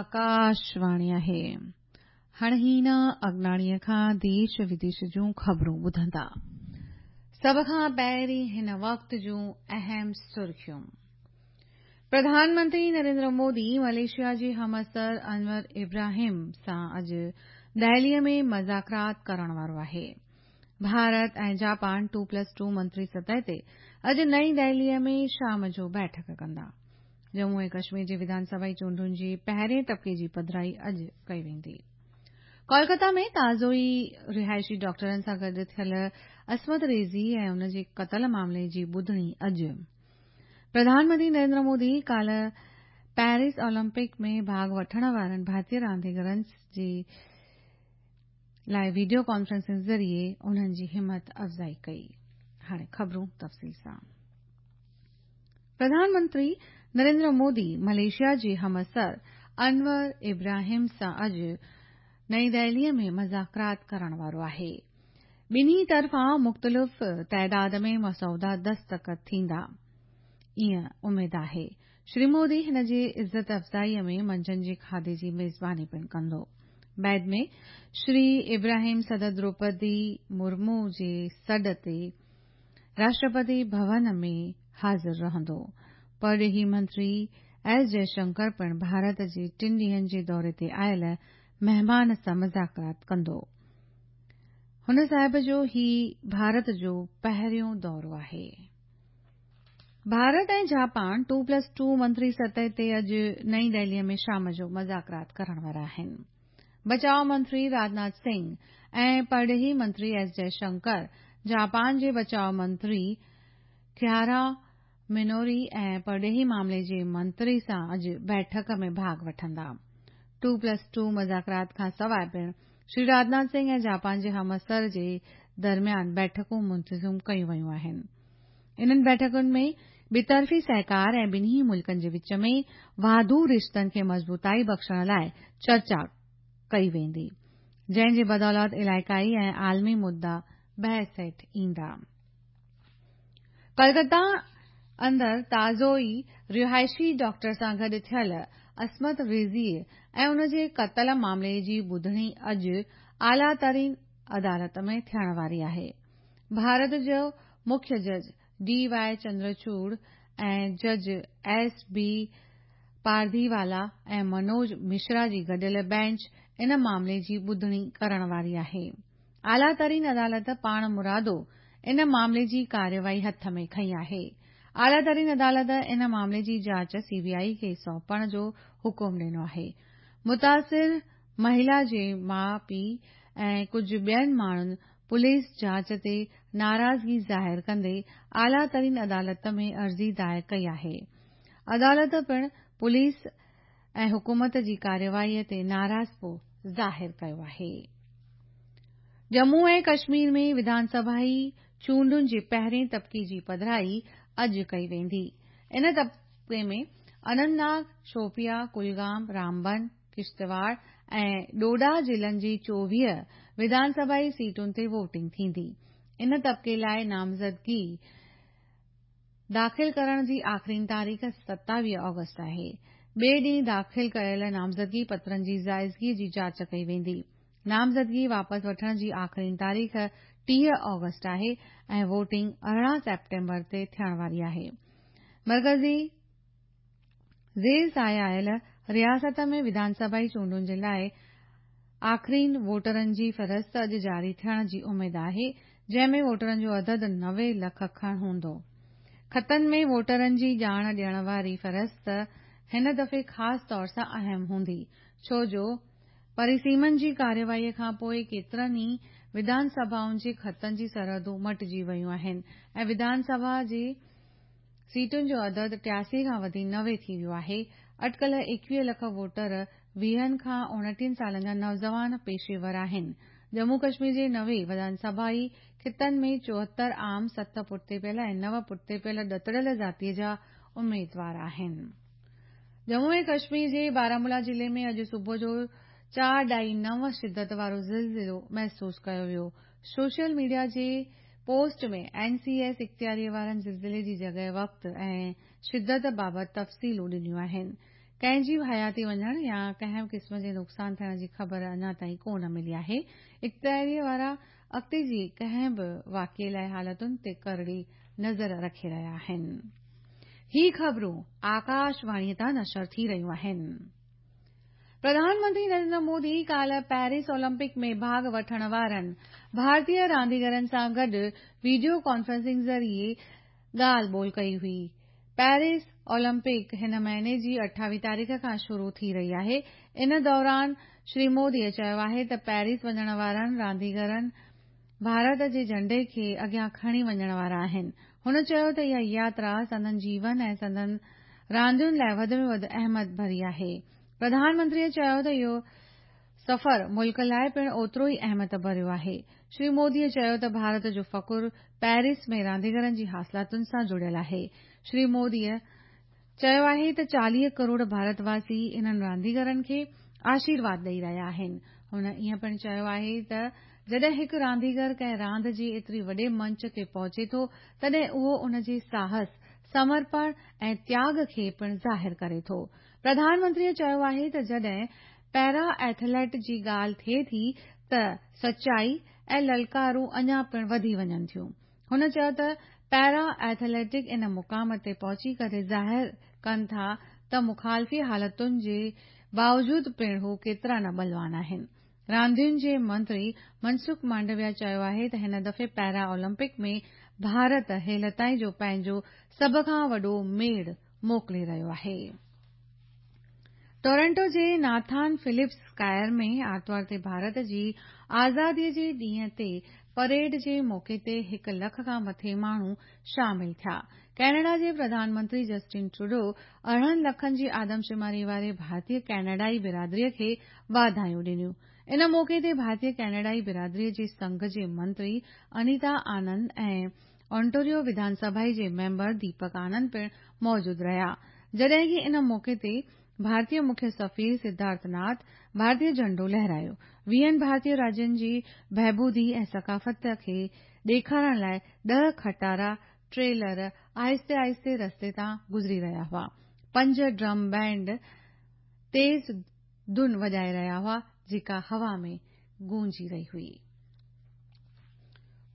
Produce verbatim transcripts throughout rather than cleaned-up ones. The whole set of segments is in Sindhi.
آڪاشواڻي آهي. هاڻي هينا اگناڻيء کان ديش وديش جون خبرون ٻڌندا. سڀ کان پهرين هن وقت جون اهم سرخيون. پرڌان منتري نريندر مودي ملائيشيا جي همعصر انور ابراهيم سان اڄ دهليء ۾ مذاڪرات ڪرڻ وارو آهي. Bharat ۽ Japan two plus two منتري سطح تي اڄ نئين دهليء ۾ شام جو بيٺڪ ڪندا. ڄمون ۽ ڪشمير جي وڌان سڀائي چونڊن جي پهرين طبقي جي پڌرائي اڄ ڪئي ويندي. ڪولڪتا ۾ تازو ئي رهائشي ڊاڪٽرن سان گڏ ٿيل عصمت ريزي ۽ ان جي قتل معاملي جي ٻڌڻي اڄ. پرڌان منتري نريندر مودي ڪالهه پيرس اولمپڪ ۾ ڀاڳ وٺڻ وارن ڀارتيه رانديگرن جي لاءِ وڊيو ڪانفرنسنگ ذريعي انهن جي همت افزائي ڪئي. هاڻي خبرون تفصيل سان. پرڌان منتري نريندر مودي ملائيشيا جي همعصر انور ابراهيم سان اڄ نئين دهليء ۾ مذاڪرات ڪرڻ وارو آهي. ٻنهي طرفان مختلف تعداد ۾ مسودا دستخط ٿيندا، ائين اميد آهي. شري مودي هن جي عزت افزائيء ۾ منجهند جي کاڌي جي ميزباني پڻ ڪندو. بعد ۾ شري ابراهيم صدر دروپدي مرمو جي سڏ تي راشٽرپتي ڀون ۾ حاضر رهندو. پرڏيهي منتري ايس جئشنڪر پڻ ڀارت جي ٽن ڏينهن جي دوري تي آيل مهمان سان مذاڪرات ڪندو. هن صاحب جو هي ڀارت جو پهريون دورو آهي. Bharat ۽ Japan two plus two منتري سطح تي اڄ نئين دهليء ۾ شام جو مذاڪرات ڪرڻ وارا آهن. بچاءُ منتري راجناٿ سنگهه ۽ پرڏيهي منتري ايس جئشنڪر جاپان جي بچاءُ منتري ڪيارا منوري ۽ پرڏيهي معاملي جي منتري سان اڄ بيٺڪ ۾ ڀاڳ وٺندا. ٽو پلس ٽو مذاڪرات کان سواءِ پڻ شري راجناٿ سنگهه ۽ جاپان جي همعصر جي درميان بيٺڪون منتظم ڪيون ويون آهن. انهن بيٺڪن ۾ ٻطرفي سهڪار ۽ ٻنهي ملڪن جي وچ ۾ واڌو رشتن کي مضبوطائي بخشڻ لاءِ چرچا ڪئي ويندي، جنهن جي بدولت علائقائي ۽ عالمي مدعا بحث هيٺ ايندا. ڪولڪتا اندر تازو ئي رهائشي ڊاڪٽر سان گڏ ٿيل عصمت ريزي ۽ ان جي قتل معاملي جي ٻڌڻي اڄ اعليٰ ترين عدالت ۾ ٿيڻ واري آهي. ڀارت جو مکيه جج ڊي وائي چندرچوڙ ۽ جج ايس بي پارديوالا ۽ منوج مشرا جي گڏيل بينچ ان معاملي جي ٻڌڻي ڪرڻ واري آهي. اعليٰ ترين عدالت پاڻ مرادو ان معاملي جي ڪارروائي هٿ ۾ کنئي آهي. اعليٰ ترين عدالت ان معاملي جي جاچ سي بي آئي کي سونپڻ جو حڪم ڏنو آهي. متاثر مهلا جي ماءُ پيءُ ۽ ڪجهه ٻين ماڻهن پوليس جاچ تي ناراضگي ظاهر ڪندي اعليٰ ترين عدالت ۾ عرضي دائر ڪئي آهي. عدالت پڻ پوليس ۽ حڪومت جي ڪارروائي تي ناراضپو ظاهر ڪيو آهي. ڄمون ۽ ڪشمير ۾ وڌان سڀائي چونڊن جي پهرين طبقي جي پڌرائي اڄ ڪئي ويندي. ان طبقي ۾ اننت ناگ، شوپيان، ڪلگام، رامبن، ڪشتواڙ ۽ ڊوڊا ضلعن جي چوويهه وڌان سڀائي سيٽن تي ووٽنگ ٿيندي. ان طبقي لاءِ نامزدگي داخل ڪرڻ جي آخرين تاريخ ستاويهه آگسٽ آهي. ٻئي ڏينهن داخل ڪيل نامزدگي پترن جي جائزگي جي جاچ ڪئي ويندي. نامزدگي واپس وٺڻ جي آخرين تاريخ ٽيهه آگسٽ آهي ۽ ووٽنگ ارڙهن سيپٽمبر تي ٿيڻ واري آهي. مرڪزي زير سايه آيل رياست ۾ وڌان سڀائي چونڊن جي لاءِ آخرين ووٽرن جي فهرست اڄ جاري ٿيڻ جي اميد آهي، جنهن ۾ ووٽرن جو عدد نوي لک کن هوندو. خطن ۾ ووٽرن جي ڄاڻ ڏيڻ واري فهرست هن دفعي خاص طور سان اهم هوندي، ڇو جو پرسيمن جي ڪارروائيءَ کان پوءِ ڪيترن ئي وڌان سڀائن جي خطن جي سرحدون مٽجي ويون آهن ۽ وڌان سڀا جي سيٽن جو عدد ٽياسي کان وڌي نوي ٿي ويو آهي. اٽڪل ايڪويهه لک ووٽر ويهن کان اڻٽيهن سالن جا نوجوان پيشيور آهن. ڄمون ڪشمير جي نوي وڌان سڀائي خطن ۾ چوهتر عام، ست پٺتي پيل ۽ نو پٺتي پيل ڏتڙيل ذاتيءَ جا اميدوار آهن. ڄمون ۽ ڪشمير جي بارامولا ضلعي ۾ اڄ صبح جو چار ڏهائي نو شدت وارو زلزلو محسوس ڪيو ويو. سوشل ميڊيا جي پوسٽ ۾ اين سي ايس اختياريءَ وارن زلزلي جي جڳهه، وقت ۽ شدت بابت تفصيلون ڏنيون آهن. ڪنهن جي به حياتي وڃڻ يا ڪنهن به قسم جي نقصان ٿيڻ جي خبر اڃا تائين ڪونه ملي آهي. اختياريء وارا اڳتي جي ڪنهن به واقعي لاء حالتن تي ڪرڙي نظر رکي رهيا آهن. هي خبرون آڪاشواڻيء تان نشر ٿي رهيون آهن. پرڌان منتري نريندر مودي ڪالهه پيرس اولمپڪ ۾ ڀاڳ وٺڻ وارن ڀارتيه رانديگرن سان گڏ وڊيو ڪانفرنسنگ ذريعي ڳالهه ٻولهه ڪئي هئي. پيرس اولمپڪ هن مهيني جي اٺاويهه تاريخ کان شروع ٿي رهي آهي. ان دوران شري موديء چيو آهي ته پيرس وڃڻ وارن رانديگرن ڀارت جي جهنڊي کي اڳيان کڻي وڃڻ وارا آهن. هن چيو ته اها ياترا سندن جيون ۽ سندن راندين لاء وڌ ۾ وڌ اهميت ڀري آهي. پرڌان منتريء چيو ته اهو سفر ملڪ لاء پڻ اوترو ئي اهميت ڀريو آهي. شري موديء چيو ته ڀارت جو فخر پيرس ۾ رانديگرن جي حاصلاتن سان جڙيل آهي. شري موديء چيو آهي ته چاليهه ڪروڙ ڀارتواسي انهن رانديگرن کي آشيرواد ڏئي رهيا آهن. هن ائين پڻ چيو آهي ته جڏهن هڪ رانديگر ڪنهن راند جي ايتري وڏي منچ تي پهچي ٿو تڏهن اهو ان جي ساهس، سمرپڻ ۽ تياڳ کي پڻ ظاهر ڪري ٿو. پرڌان منتريء چيو آهي ته جڏهن پيرا ايٿليٽ جي ڳالهه ٿئي ٿي ته سچائي ۽ للڪارون اڃا پڻ وڌي وڃن ٿيون. هن چيو ته پيرا ايٿليٽڪ ان مقام تي پهچي ڪري ظاهر ڪن ٿا ته مخالفي حالتن جي باوجود پڻ هو ڪيترا نه ٻلوان آهن. راندين جي منتري منسک مانڊويا چيو آهي ته هن دفعي پيرا اولمپڪ ۾ ڀارت هيل تائين جو پنهنجو سڀ کان وڏو ميڙ موڪلي رهيو آهي. ٽورنٽو جي ناٿان فلپس اسڪائر ۾ آرتوار تي ڀارت جي آزاديء جي ڏينهن تي پريڊ جي موقعي تي هڪ لک کان مٿي ماڻهو شامل ٿيا. ڪئناڊا جي پرڌان منتري جسٽن ٽروڊو ارڙهن لکن جي آدمشماري واري ڀارتيه ڪئناڊائي برادريء کي واڌايون ڏنيون. ان موقعي تي ڀارتيه ڪئناڊائي برادريء جي سنگهه جي منتري انيتا آنند ۽ اونٽاريو وڌان سڀا جي ميمبر ديپڪ آنند پڻ موجود رهيا. جڏهن ڪه ان موقعي تي ڀارتيه مکيه سفير سڌارٿ ناٿ ڀارتيه جهنڊو لهرايو. ويهن ڀارتيه راجين جي بهبودي ۽ ثقافت کي ڏيکارڻ لاء ڏهه کٽارا ٽريلر آهستي آهستي رستي تان گذري رهيا هئا. پنج ڊرم بينڊ تيز ڌن وڄائي رهيا هئا جيڪا هوا ۾ گونجي رهي هئي.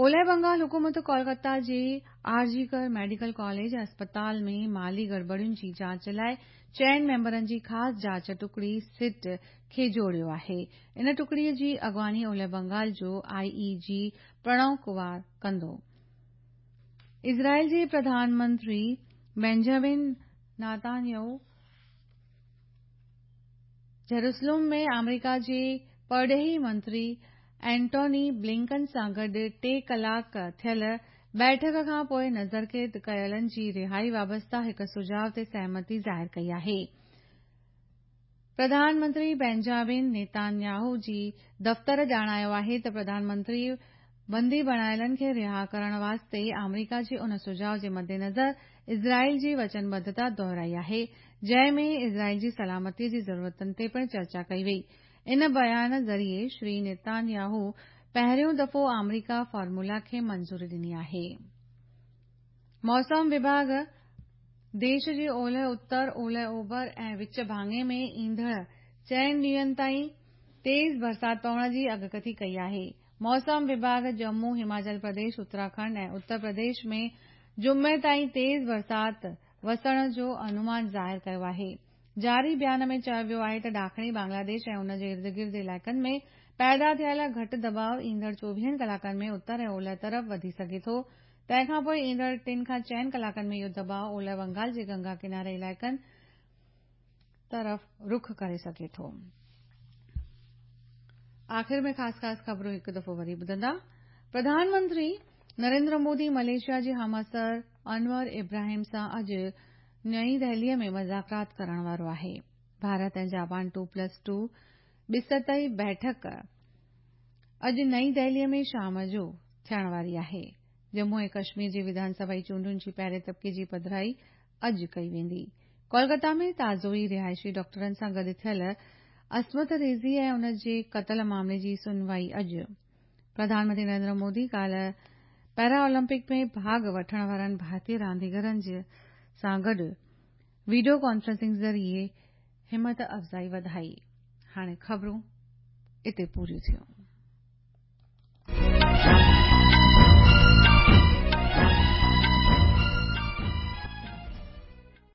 اولهه بنگال حڪومت ڪولڪتا جي آر جي ڪر ميڊيڪل ڪاليج ۽ اسپتال ۾ مالي گڙٻڙين جي جاچ لاء چئن ميمبرن جي خاص جاچ ٽڪڙي سٽ کي جوڙيو آهي. ان ٽڪڙيء جي اڳواڻي اولهه بنگال جو آء اي جي پرڻو ڪمار ڪندو. اسرائيل جي پرڌان منتري بينجامن نتانياهو جيروسلم ۾ آمريڪا جي پرڏيهي منتري اينٽوني بلنڪن سان گڏ ٽي ڪلاڪ ٿيل بيٺڪ کان پوءِ نظرقيد ڪيلن جي رهائي وابسته هڪ سجهاءُ تي سهمتي ظاهر ڪئي آهي. پرڌان منتري بينجامن نيتانياهو جي دفتر ڄاڻايو آهي ته پرڌان منتري بندي بڻايلن کي رها ڪرڻ واسطي آمريڪا جي ان سجهاءُ جي مدنظر اسرائيل جي وچنبڌتا دهرائي آهي، جنهن ۾ اسرائيل جي سلامتيء جي ضرورتن تي پڻ چرچا ڪئي وئي. ان بيان ذريعي شري نيتانياهو پهريون دفعو آمريڪا فارمولا کي منظوري ڏني آهي. موسم وڀاڳ ديش جي اولهه اتر، اولهه اوڀر ۽ وچ ڀاڱي ۾ ايندڙ چئن ڏينهن تائين تيز برسات پوڻ جي اڳڪٿي ڪئي آهي. موسم وڀاڳ ڄمون، هماچل پرديش، اتراکنڊ ۽ اتر پرديش ۾ جمعي تائين تيز برسات وسڻ جو انومان ظاهر ڪيو آهي. جاري بيان ۾ چيو ويو آهي ته ڏاکڻي بنگلاديش ۽ ان جي ارد گرد علائقن ۾ پيدا ٿيل گهٽ دٻاءُ ايندڙ چوويهن ڪلاڪن ۾ اتر ۽ اولهه طرف وڌي سگهي ٿو. تنهن کان پوءِ ايندڙ ٽن کان چئن ڪلاڪن ۾ اهو دٻاءُ اولهه بنگال جي گنگا ڪناري علائقن طرف رخ ڪري سگهي ٿو. آخر ۾ خاص خاص خبرون هڪ دفعو وري ٻڌندا. پرڌان منتري نريندر مودي ملائيشيا جي همعصر انور ابراهيم سان اڄ نئين دهليء ۾ مذاڪرات ڪرڻ وارو آهي. Bharat ۽ Japan two plus two ٻه سطحي بيٺڪ اڄ نئين دهليء ۾ شام جو ٿيڻ واري آهي. ڄمون ۽ ڪشمير جي وڌان سڀا چونڊن جي پهرين طبقي جي پڌرائي اڄ ڪئي ويندي. ڪولڪتا ۾ تازو ئي رهائشي ڊاڪٽرن سان گڏ ٿيل عصمت ريزي ۽ ان جي قتل معاملي جي سنوائي اڄ. پرڌان منتري نريندر مودي ڪالهه پيرا اولمپڪ ۾ ڀاڳ وٺڻ وارن ڀارتيه رانديگرن سان گڏ وڊيو ڪانفرنسنگ ذريعي همت افزائي وڌائي. هاڻي خبرون اتي پوريون ٿيون.